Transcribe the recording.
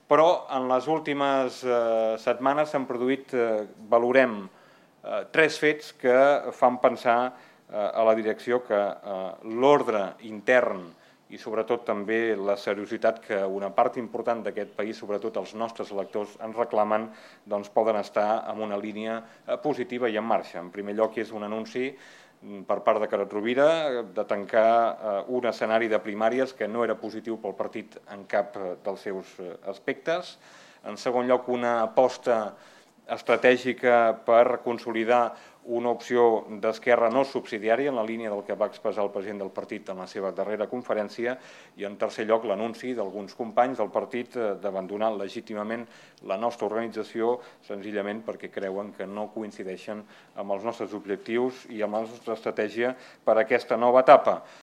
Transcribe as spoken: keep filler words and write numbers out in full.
però en les últimes setmanes s'han produït, valorem, tres fets que fan pensar a la direcció que l'ordre intern i sobretot també la seriositat que una part important d'aquest país, sobretot els nostres electors, ens reclamen, doncs poden estar en una línia positiva i en marxa. En primer lloc és un anunci per part de Carod Rovira de tancar un escenari de primàries que no era positiu pel partit en cap dels seus aspectes. En segon lloc, una aposta estratègica per consolidar una opció d'esquerra no subsidiària en la línia del que va expressar el president del partit en la seva darrera conferència i, en tercer lloc, l'anunci d'alguns companys del partit d'abandonar legítimament la nostra organització senzillament perquè creuen que no coincideixen amb els nostres objectius i amb la nostra estratègia per a aquesta nova etapa.